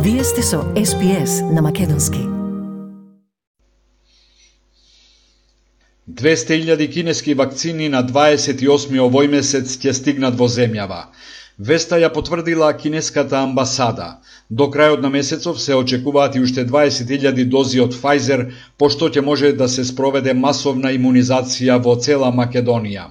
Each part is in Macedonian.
Вие сте со SPS на Македонски. 200.000 кинески вакцини на 28 овој месец ќе стигнат во земјава. Веста ја потврдила кинеската амбасада. До крајот на месецов се очекуваат и уште 20.000 дози од Pfizer, пошто ќе може да се спроведе масовна имунизација во цела Македонија.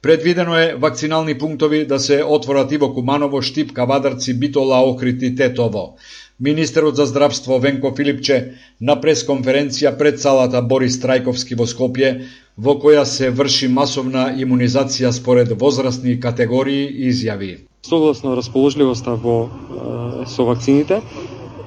Предвидено е вакцинални пунктови да се отворат и во Куманово, Штип, Кавадарци, Битола, Охрид и Тетово. Министерот за здравство Венко Филипче на пресконференција пред салата Борис Трајковски во Скопје, во која се врши масовна имунизација според возрастни категории, изјави: Согласно расположливоста со вакцините,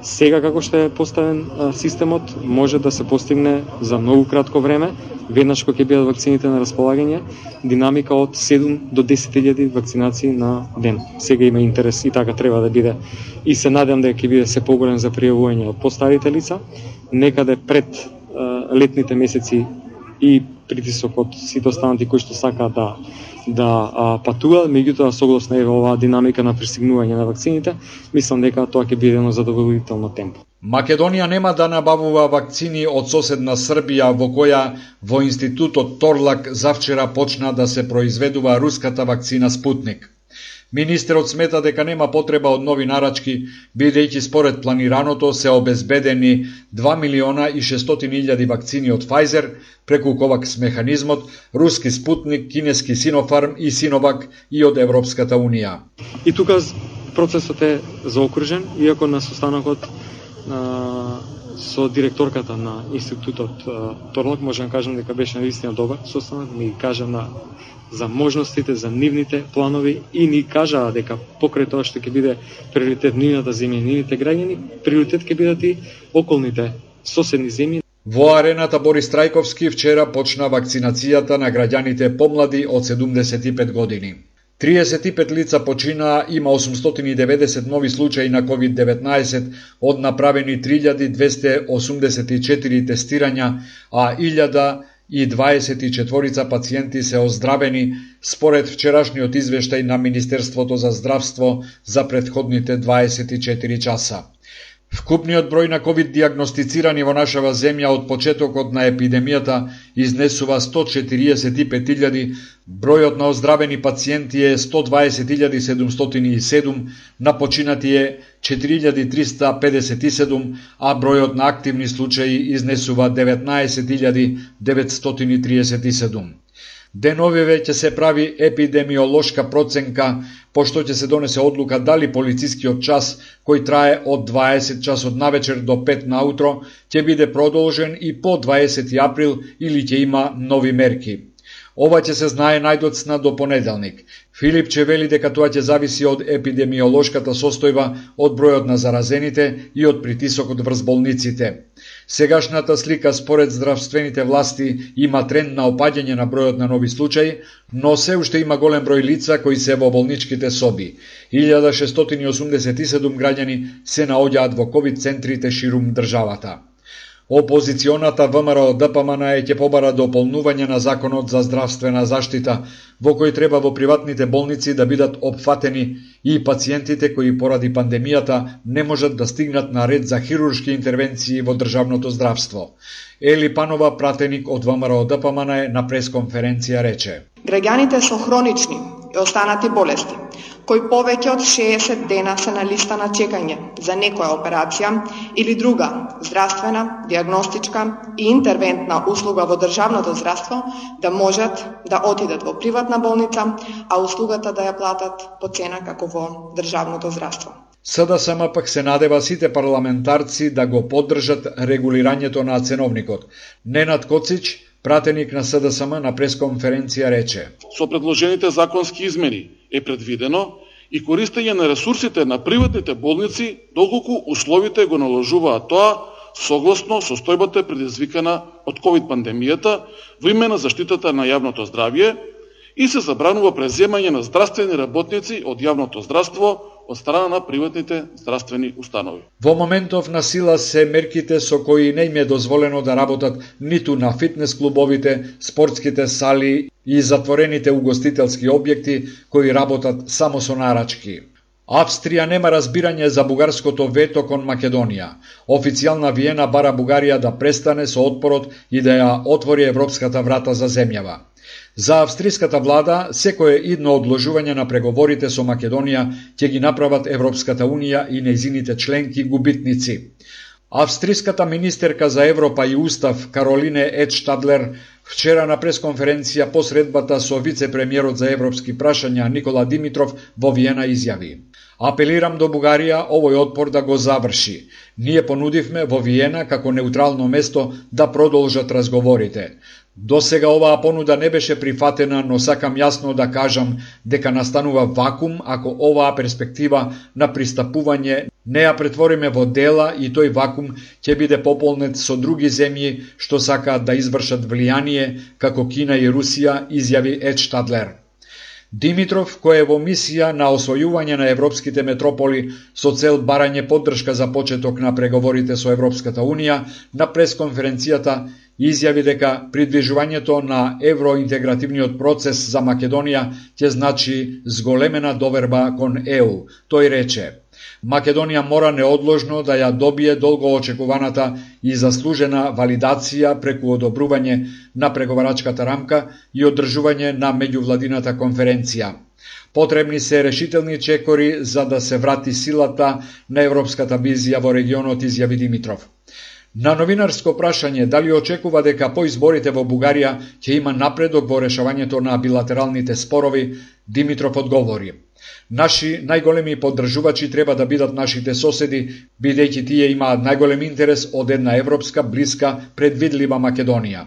сега како што е поставен системот, може да се постигне за многу кратко време, веднаш кога ќе бидат вакцините на располагање, динамика од 7 до 10.000 вакцинации на ден. Сега има интерес и така треба да биде. И се надевам дека ќе биде се поголем за пријавување од постарите лица, некаде пред летните месеци и притисок од сите останати кои што сакаат да патуваат, меѓутоа согласно оваа динамика на пристигнување на вакцините, мислам дека тоа ќе биде едно задоволително темпо. Македонија нема да набавува вакцини од соседна Србија, во која во институтот Торлак завчера почна да се произведува руската вакцина Спутник. Министерот смета дека нема потреба од нови нарачки, бидејќи според планираното се обезбедени 2.600.000 вакцини од Pfizer преку COVAX механизмот, руски Спутник, кинески Синофарм и Синовак и од Европската Унија. И тука процесот е заокружен, иако на состанокот со директорката на институтот Торлак можам да кажам дека беше навистина добар состанок, ми кажа за можностите, за нивните планови и ни кажаа дека покрај тоа што ќе биде приоритет нивната земја и нивните граѓани, приоритет ќе бидат и околните соседни земји. Во арената Борис Трајковски вчера почна вакцинацијата на граѓаните помлади од 75 години. 35 лица починаа, има 890 нови случаи на COVID-19 од направени 3284 тестирања, а 1024 пациенти се оздравени според вчерашниот извештај на Министерството за здравство за претходните 24 часа. Вкупниот број на COVID диагностицирани во нашава земја од почетокот на епидемијата изнесува 145.000, бројот на оздравени пациенти е 120.707, на починати е 4.357, а бројот на активни случаи изнесува 19.937. Деновиве ќе се прави епидемиолошка проценка, пошто ќе се донесе одлука дали полицискиот час, кој трае од 20 часот навечер до 5 наутро, ќе биде продолжен и по 20 април или ќе има нови мерки. Ова ќе се знае најдоцна до понеделник. Филипче вели дека тоа ќе зависи од епидемиолошката состојба, од бројот на заразените и од притисокот врз болниците. Сегашната слика според здравствените власти има тренд на опаѓање на бројот на нови случаи, но се уште има голем број лица кои се во болничките соби. 1687 граѓани се наоѓаат во ковид центрите ширум државата. Опозиционата ВМРО ДПМН ќе побара дополнување на законот за здравствена заштита, во кој треба во приватните болници да бидат опфатени и пациентите кои поради пандемијата не можат да стигнат на ред за хируршки интервенции во државното здравство. Ели Панова, пратеник од ВМРО ДПМН, на пресконференција рече: Граѓаните со хронични и останати болести, кои повеќе од 60 дена се на листа на чекање за некоја операција или друга здравствена, диагностичка и интервентна услуга во државното здравство, да можат да отидат во приватна болница, а услугата да ја платат по цена како во државното здравство. СДСМ пак се надева сите парламентарци да го поддржат регулирањето на ценовникот. Ненад Коцич, пратеник на СДСМ, на пресконференција рече: Со предложените законски измени е предвидено и користење на ресурсите на приватните болници доколку условите го наложуваат тоа согласно состојбата предизвикана од ковид пандемијата во име на заштитата на јавното здравје и се забранува преземање на здравствени работници од јавното здравство од страна на приватните здравствени установи. Во моментов на сила се мерките со кои не им е дозволено да работат ниту на фитнес клубовите, спортските сали и затворените угостителски објекти кои работат само со нарачки. Австрија нема разбирање за бугарското вето кон Македонија. Официјална Виена бара Бугарија да престане со отпорот и да ја отвори европската врата за земјава. За австриската влада, секое идно одложување на преговорите со Македонија ќе ги направат Европската Унија и нејзините членки губитници. Австриската министерка за Европа и Устав Каролине Едштадлер вчера на пресконференција по средбата со вице-премиерот за европски прашања Никола Димитров во Виена изјави: "Апелирам до Бугарија овој отпор да го заврши. Ние понудивме во Виена како неутрално место да продолжат разговорите. До сега оваа понуда не беше прифатена, но сакам јасно да кажам дека настанува вакуум ако оваа перспектива на пристапување не ја претвориме во дела и тој вакуум ќе биде пополнет со други земји што сакаат да извршат влијание како Кина и Русија", изјави Едштадлер. Димитров, кој е во мисија на освојување на европските метрополи со цел барање поддршка за почеток на преговорите со Европската Унија, на пресконференцијата изјави дека придвижувањето на евроинтегративниот процес за Македонија ќе значи зголемена доверба кон ЕУ. Тој рече: "Македонија мора неодложно да ја добие долго очекуваната и заслужена валидација преку одобрување на преговарачката рамка и одржување на меѓувладината конференција. Потребни се решителни чекори за да се врати силата на европската визија во регионот", изјави Димитров. На новинарско прашање дали очекува дека по изборите во Бугарија ќе има напредок во решавањето на билатералните спорови, Димитров одговори: "Наши најголеми поддржувачи треба да бидат нашите соседи, бидејќи тие имаат најголем интерес од една европска, блиска, предвидлива Македонија."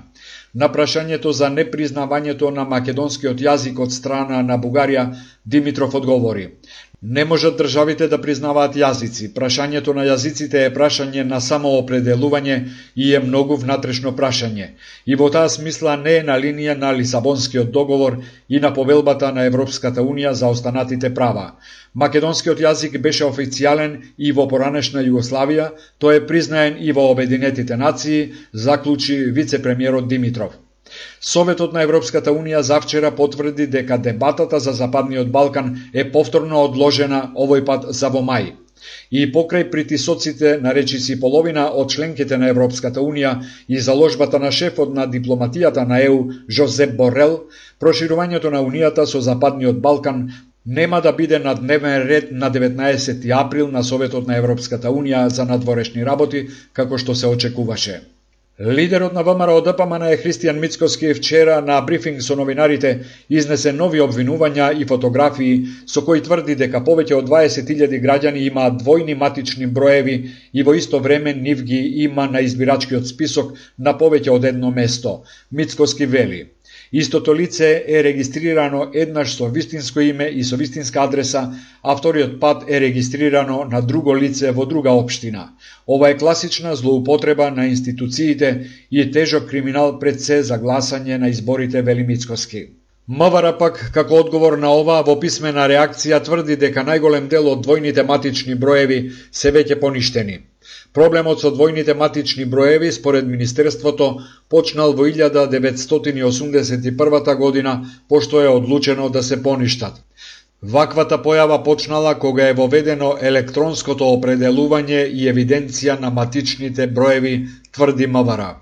На прашањето за непризнавањето на македонскиот јазик од страна на Бугарија, Димитров одговори: "Не можат државите да признаваат јазици. Прашањето на јазиците е прашање на самоопределување и е многу внатрешно прашање. И во таа смисла не е на линија на Лисабонскиот договор и на повелбата на Европската Унија за останатите права. Македонскиот јазик беше официјален и во поранешна Југославија, тој е признаен и во Обединетите нации", заклучи вице-премиерот Димитров. Советот на Европската Унија завчера потврди дека дебатата за Западниот Балкан е повторно одложена, овој пат за во мај. И покрај притисоците на речиси половина од членките на Европската Унија и заложбата на шефот на дипломатијата на ЕУ Жозеп Борел, проширувањето на Унијата со Западниот Балкан нема да биде на дневен ред на 19 април на Советот на Европската Унија за надворешни работи, како што се очекуваше. Лидерот на ВМРО-ДПМН Христијан Мицкоски вчера на брифинг со новинарите изнесе нови обвинувања и фотографии со кои тврди дека повеќе од 20.000 граѓани имаат двојни матични броеви и во исто време нив ги има на избирачкиот список на повеќе од едно место. Мицкоски вели: "Истото лице е регистрирано еднаш со вистинско име и со вистинска адреса, а вториот пат е регистрирано на друго лице во друга општина. Ова е класична злоупотреба на институциите и тежок криминал пред се за гласање на изборите", вели Мицкоски. МВР пак, како одговор на ова, во писмена реакција тврди дека најголем дел од двојните матични броеви се веќе поништени. Проблемот со двојните матични броеви, според Министерството, почнал во 1981 година, пошто е одлучено да се поништат. Ваквата појава почнала кога е воведено електронското определување и евиденција на матичните броеви, тврди МВР.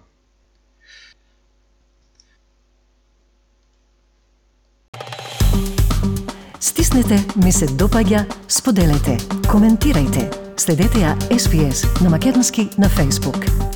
Стиснете ми се допаѓа, споделете, коментирајте. Следете ја SPS на Македонски на Facebook.